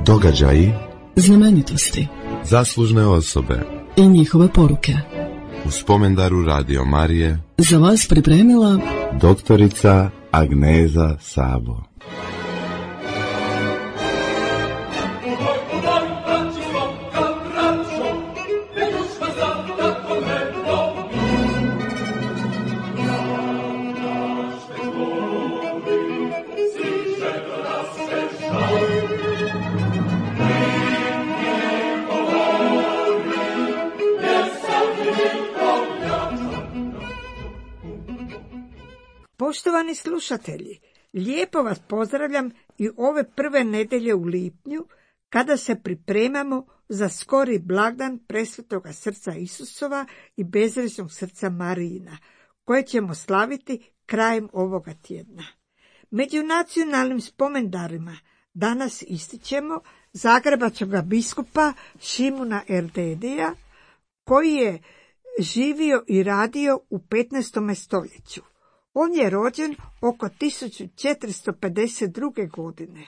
Događaji, znamenitosti, zaslužne osobe i njihove poruke. U spomendaru Radio Marije Za vas pripremila doktorica Agneza Sabo. Poštovani slušatelji, lijepo vas pozdravljam i ove prve nedjelje u lipnju, kada se pripremamo za skori blagdan Presvetoga srca Isusova i bezgrešnog srca Marijina, koje ćemo slaviti krajem ovoga tjedna. Među nacionalnim spomendarima danas ističemo zagrebačkog biskupa Šimuna Erdedija, koji je živio i radio u 15. stoljeću. On je rođen oko 1452. godine.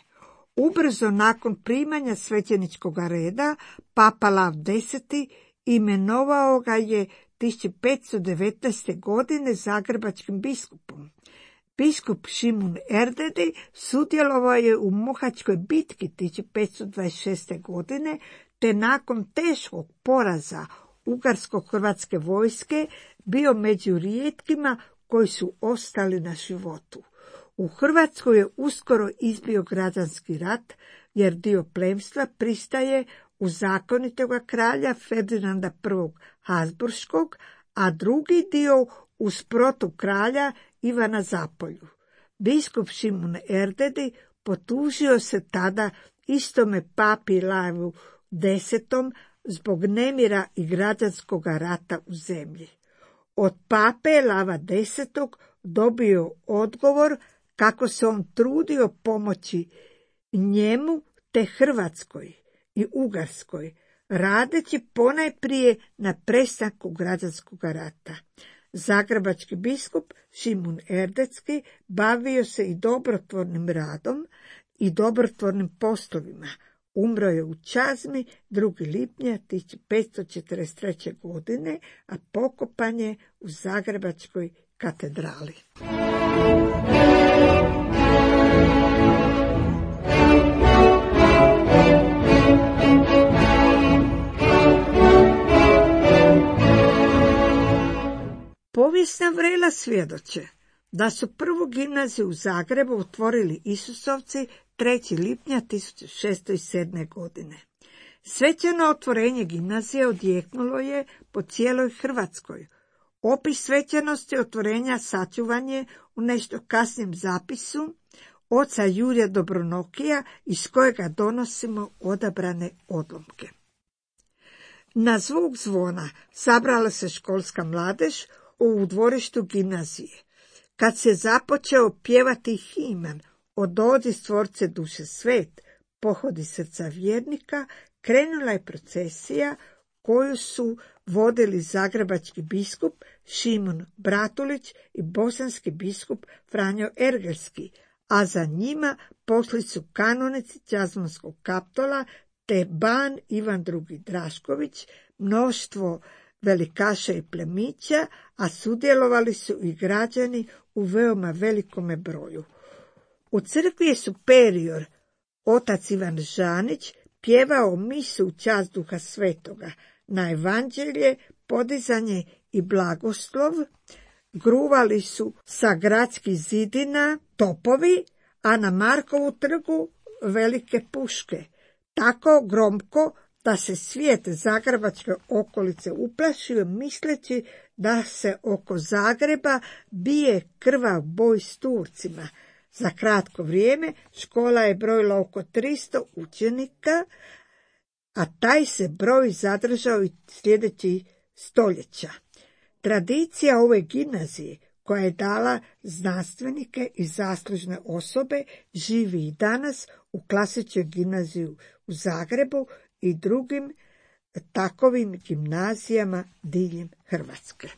Ubrzo nakon primanja svećeničkog reda, Papa Lav X imenovao ga je 1519. godine zagrebačkim biskupom. Biskup Šimun Erdedi sudjelovao je u Mohačkoj bitki 1526. godine, te nakon teškog poraza ugarsko-hrvatske vojske bio među rijetkima koji su ostali na životu. U Hrvatskoj je uskoro izbio građanski rat, jer dio plemstva pristaje u zakonitoga kralja Ferdinanda I. Habsburškog, a drugi dio uz protukralja Ivana Zapolju. Biskup Šimun Erdedi potužio se tada istome papi Lavu X zbog nemira i građanskog rata u zemlji. Od pape Lava X dobio odgovor kako se on trudio pomoći njemu te Hrvatskoj i Ugarskoj, radeći ponajprije na prestanku građanskog rata. Zagrebački biskup Šimun Erdetski bavio se i dobrotvornim radom i dobrotvornim poslovima. Umro je u Čazmi 2. lipnja 1543. godine, a pokopan je u Zagrebačkoj katedrali. Povijesna vrela svjedoče da su prvu gimnaziju u Zagrebu otvorili Isusovci 3. lipnja 1607. godine. Svečano otvorenje gimnazije odjeknulo je po cijeloj Hrvatskoj. Opis svečanosti otvorenja sačuvan je u nešto kasnijem zapisu oca Jurija Dobronokija, iz kojega donosimo odabrane odlomke. Na zvuk zvona sabrala se školska mladež u dvorištu gimnazije. Kad se započeo pjevati himen O dođi stvorce duše svet, pohodi srca vjernika, krenula je procesija koju su vodili zagrebački biskup Šimun Bratulić i bosanski biskup Franjo Ergelski, a za njima pošli su kanonici Čazmanskog Kaptola te ban Ivan II. Drašković, mnoštvo velikaša i plemića, a sudjelovali su i građani u veoma velikome broju. U crkvi je superior, otac Ivan Žanić, pjevao misu u čast Duha Svetoga, na evanđelje, podizanje i blagoslov, gruvali su sa gradskih zidina topovi, a na Markovu trgu velike puške, tako gromko da se svijet zagrebačke okolice uplašio, misleći da se oko Zagreba bije krvav boj s Turcima. Za kratko vrijeme škola je brojila oko 300 učenika, a taj se broj zadržao i sljedećih stoljeća. Tradicija ove gimnazije, koja je dala znanstvenike i zaslužne osobe, živi i danas u klasičnoj gimnaziji u Zagrebu i drugim takovim gimnazijama diljem Hrvatske.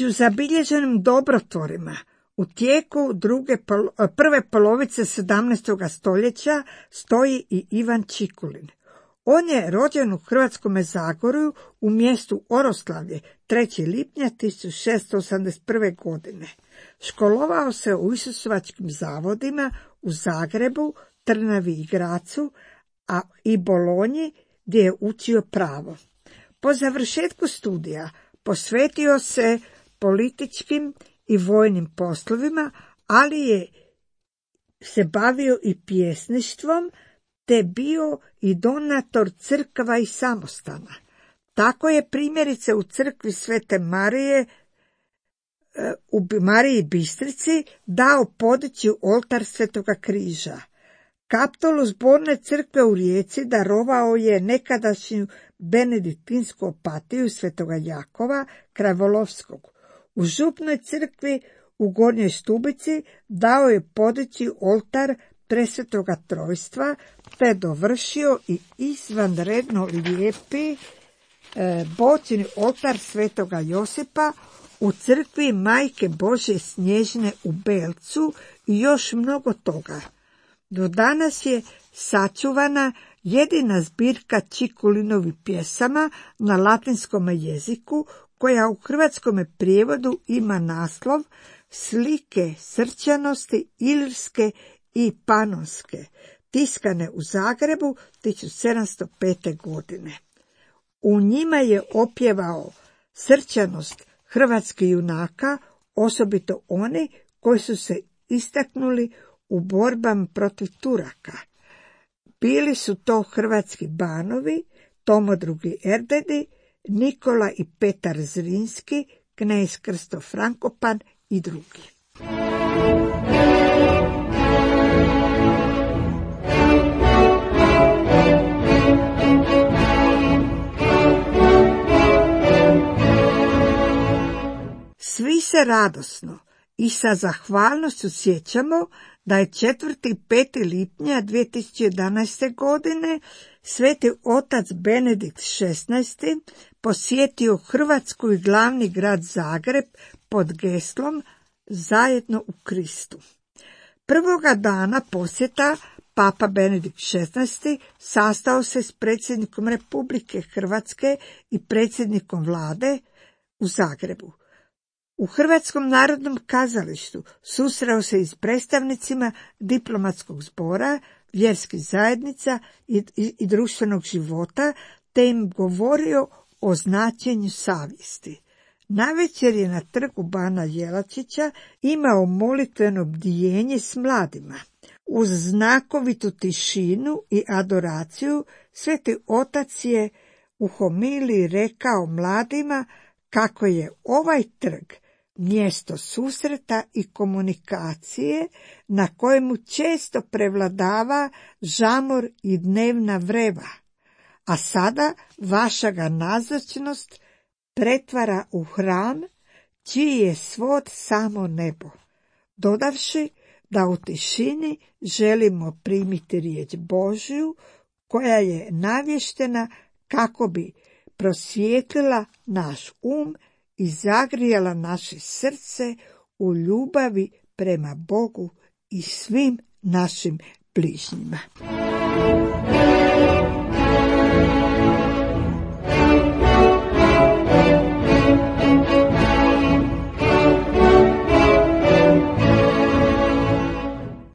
Među zabilježenim dobrotvorima u tijeku prve polovice 17. stoljeća stoji i Ivan Čikulin. On je rođen u Hrvatskome Zagorju u mjestu Oroslavlje 3. lipnja 1681. godine. Školovao se u Isusovačkim zavodima u Zagrebu, Trnavi i Gracu, a i Bolonji gdje je učio pravo. Po završetku studija posvetio se političkim i vojnim poslovima, ali je se bavio i pjesništvom, te bio i donator crkva i samostana. Tako je primjerice u crkvi Svete Marije u Mariji Bistrici dao podići oltar Svetoga križa. Kaptolu zborne crkve u Rijeci darovao je nekadašnju benediktinsku opatiju Svetoga Jakova Kravolovskog. U župnoj crkvi u Gornjoj Stubici dao je podići oltar Presvetoga Trojstva, te dovršio i izvanredno lijepi bočni oltar Svetoga Josipa u crkvi Majke Božje Snježne u Belcu i još mnogo toga. Do danas je sačuvana jedina zbirka Čikulinovih pjesama na latinskom jeziku, koja u hrvatskom prijevodu ima naslov Slike srčanosti ilirske i panonske, tiskane u Zagrebu 1705. godine. U njima je opjevao srčanost hrvatskih junaka, osobito oni koji su se istaknuli u borbama protiv Turaka. Bili su to hrvatski banovi, Tomo II. Erdedi, Nikola i Petar Zrinski, knez Krsto Frankopan i drugi. Svi se radosno i sa zahvalnošću sjećamo da je 4. i 5. lipnja 2011. godine sveti otac Benedikt XVI posjetio Hrvatsku i glavni grad Zagreb pod geslom Zajedno u Kristu. Prvoga dana posjeta Papa Benedikt XVI sastao se s predsjednikom Republike Hrvatske i predsjednikom vlade u Zagrebu. U Hrvatskom narodnom kazalištu susreo se i s predstavnicima diplomatskog zbora, vjerskih zajednica i društvenog života, te im govorio o značenju savjesti. Navečer je na trgu Bana Jelačića imao molitveno bdijenje s mladima. Uz znakovitu tišinu i adoraciju sveti otac je u homiliji rekao mladima kako je ovaj trg mjesto susreta i komunikacije na kojemu često prevladava žamor i dnevna vreva, a sada vaša ga nazočnost pretvara u hram čiji je svod samo nebo, dodavši da u tišini želimo primiti riječ Božju koja je navještena kako bi prosvijetlila naš i zagrijala naše srce u ljubavi prema Bogu i svim našim bližnjima.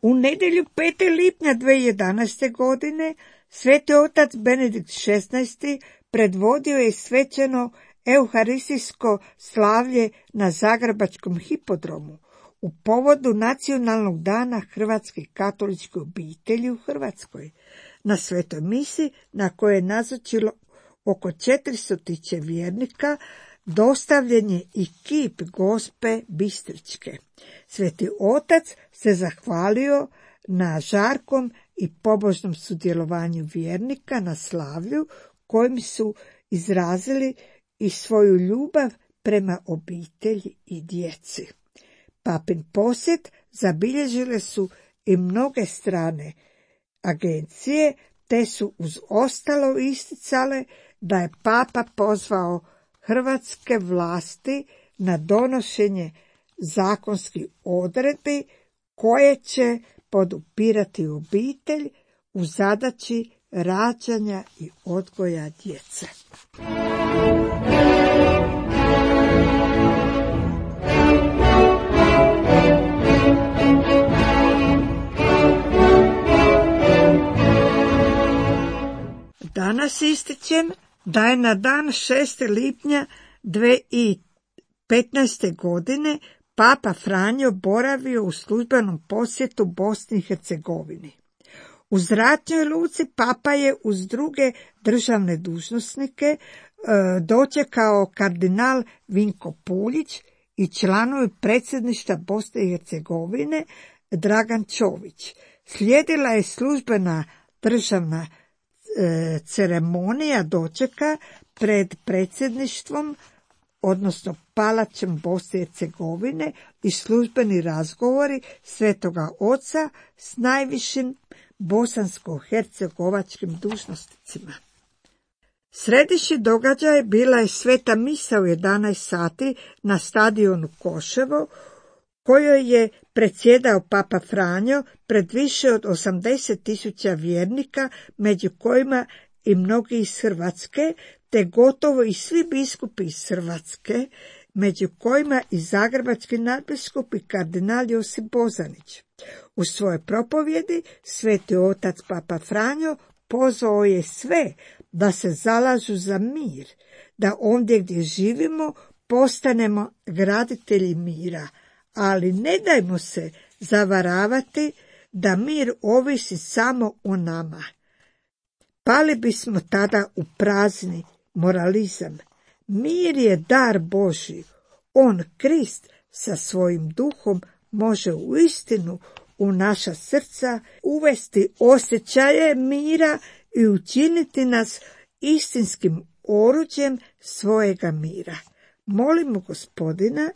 U nedjelju 5. lipnja 2011. godine sveti otac Benedikt XVI predvodio je svečano euharistijsko slavlje na Zagrebačkom hipodromu u povodu Nacionalnog dana Hrvatske katoličke obitelji u Hrvatskoj. Na svetoj misi, na kojoj je nazočilo oko 400 vjernika, dostavljen je i kip Gospe Bistričke. Sveti otac se zahvalio na žarkom i pobožnom sudjelovanju vjernika na slavlju kojim su izrazili i svoju ljubav prema obitelji i djeci. Papin posjet zabilježile su i mnoge strane agencije, te su uz ostalo isticale da je papa pozvao hrvatske vlasti na donošenje zakonskih odredbi koje će podupirati obitelj u zadaći rađanja i odgoja djece. Danas ističem da je na dan 6. lipnja 2015. godine Papa Franjo boravio u službenom posjetu Bosni i Hercegovini. U zračnoj luci Papa je uz druge državne dužnosnike dočekao kardinal Vinko Puljić i članovi predsjedništva Bosne i Hercegovine Dragan Čović. Slijedila je službena državna ceremonija dočeka pred predsjedništvom, odnosno palačem Bosne i Hercegovine, i službeni razgovori Svetoga Oca s najvišim bosansko-hercegovačkim dužnosnicima. Središnji događaj bila je sveta misa u 11 sati na stadionu Koševo, kojoj je predsjedao Papa Franjo pred više od 80.000 vjernika, među kojima i mnogi iz Hrvatske, te gotovo i svi biskupi iz Hrvatske, među kojima i zagrebački nadbiskup i kardinal Josip Bozanić. U svojoj propovjedi Sveti Otac Papa Franjo pozvao je sve da se zalažu za mir, da ondje gdje živimo postanemo graditelji mira, ali ne dajmo se zavaravati da mir ovisi samo o nama. Pali bismo tada u prazni moralizam. Mir je dar Božji. On, Krist, sa svojim duhom može uistinu u naša srca uvesti osjećaje mira i učiniti nas istinskim oruđem svojega mira. Molimo Gospodina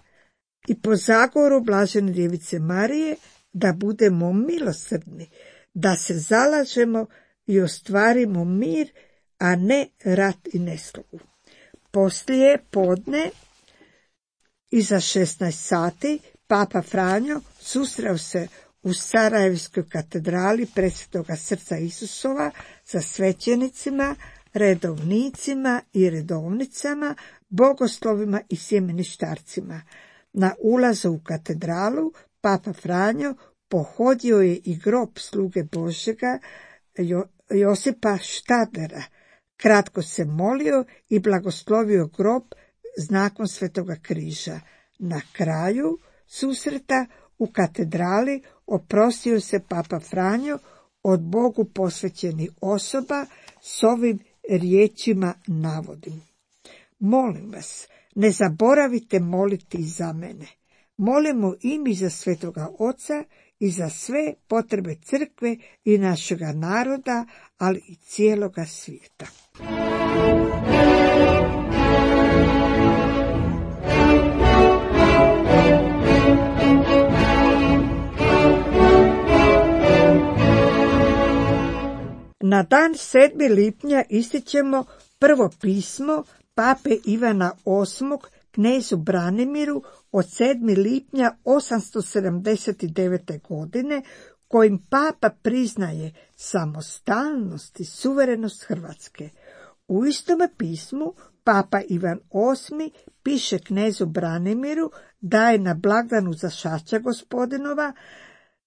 i po zagovoru Blažene Djevice Marije da budemo milosrdni, da se zalažemo i ostvarimo mir, a ne rat i neslogu. Poslije podne, iza 16 sati, Papa Franjo susreo se u Sarajevskoj katedrali Presvetoga srca Isusova sa svećenicima, redovnicima i redovnicama, bogoslovima i sjemeništarcima. Na ulazu u katedralu Papa Franjo pohodio je i grob sluge Božjega Josipa Štadlera. Kratko se molio i blagoslovio grob znakom Svetoga križa. Na kraju susreta u katedrali oprostio se Papa Franjo od Bogu posvećenih osoba s ovim riječima navodim. Molim vas, ne zaboravite moliti za mene. Molimo i mi za Svetoga Oca i za sve potrebe crkve i našega naroda, ali i cijeloga svijeta. Na dan 7. lipnja ističemo prvo pismo Pape Ivana VIII knezu Branimiru od 7. lipnja 879. godine, kojim Papa priznaje samostalnost i suverenost Hrvatske. U istome pismu Papa Ivan VIII piše knezu Branimiru da je na blagdanu Zašaća Gospodinova,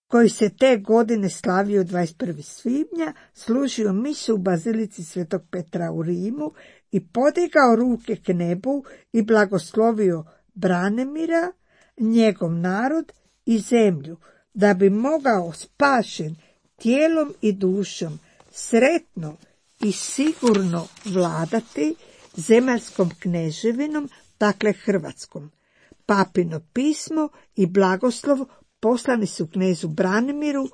koji se te godine slavio 21. svibnja, služio misu u bazilici Svetog Petra u Rimu i podigao ruke k nebu i blagoslovio Branimira, njegov narod i zemlju, da bi mogao spašen tijelom i dušom sretno i sigurno vladati zemaljskom kneževinom, dakle Hrvatskom. Papino pismo i blagoslov poslani su knezu Branimiru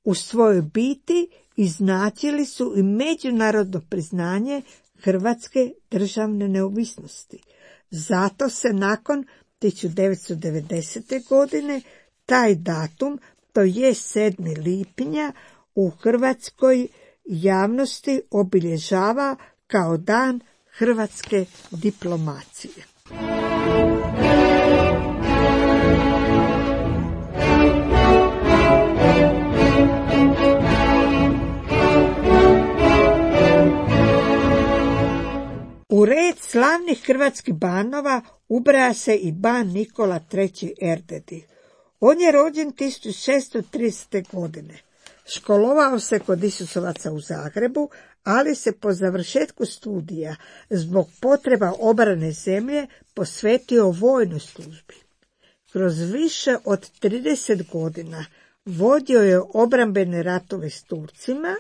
u svojoj biti i značili su i međunarodno priznanje Hrvatske državne neovisnosti. Zato se nakon 1990. godine taj datum, to je 7. lipnja, u hrvatskoj javnosti obilježava kao dan hrvatske diplomacije. slavnih hrvatskih banova ubraja se i ban Nikola III. Erdedi. On je rođen 1630. godine. Školovao se kod Isusovaca u Zagrebu, ali se po završetku studija zbog potreba obrane zemlje posvetio vojnoj službi. Kroz više od 30 godina vodio je obrambene ratove s Turcima,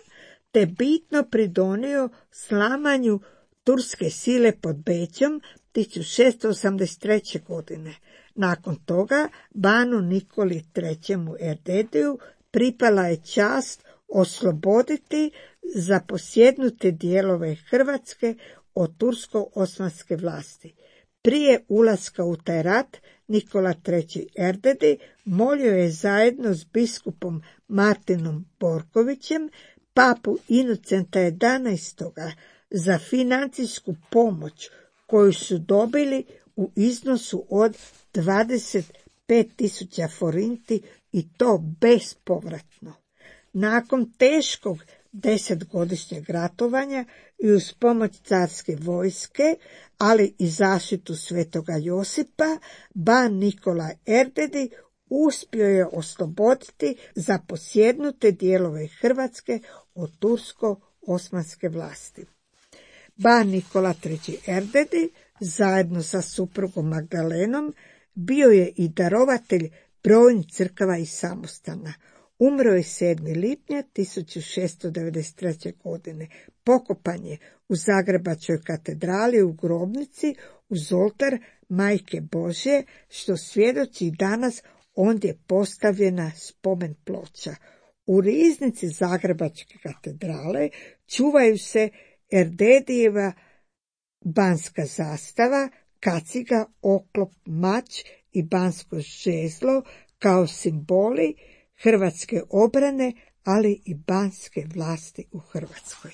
te bitno pridonio slamanju turske sile pod Bećom 1683. godine. Nakon toga banu Nikoli III. Erdediju pripala je čast osloboditi zaposjednute dijelove Hrvatske od tursko-osmanske vlasti. Prije ulaska u taj rat Nikola III. Erdedi molio je zajedno s biskupom Martinom Borkovićem papu Inocenta XI. Za financijsku pomoć koju su dobili u iznosu od 25.000 forinti i to bespovratno. Nakon teškog 10-godišnjeg ratovanja i uz pomoć carske vojske, ali i zaštitu svetoga Josipa, ban Nikola Erdedi uspio je osloboditi zaposjednute dijelove Hrvatske od tursko-osmanske vlasti. Ban Nikola III. Erdedi zajedno sa suprugom Magdalenom bio je i darovatelj brojnih crkava i samostana. Umro je 7. lipnja 1693. godine. Pokopan je u Zagrebačkoj katedrali u grobnici uz oltar Majke Božje, što svjedoči danas ondje postavljena spomen ploča. U riznici Zagrebačke katedrale čuvaju se Erdedijeva banska zastava, kaciga, oklop, mač i bansko žezlo kao simboli hrvatske obrane, ali i banske vlasti u Hrvatskoj.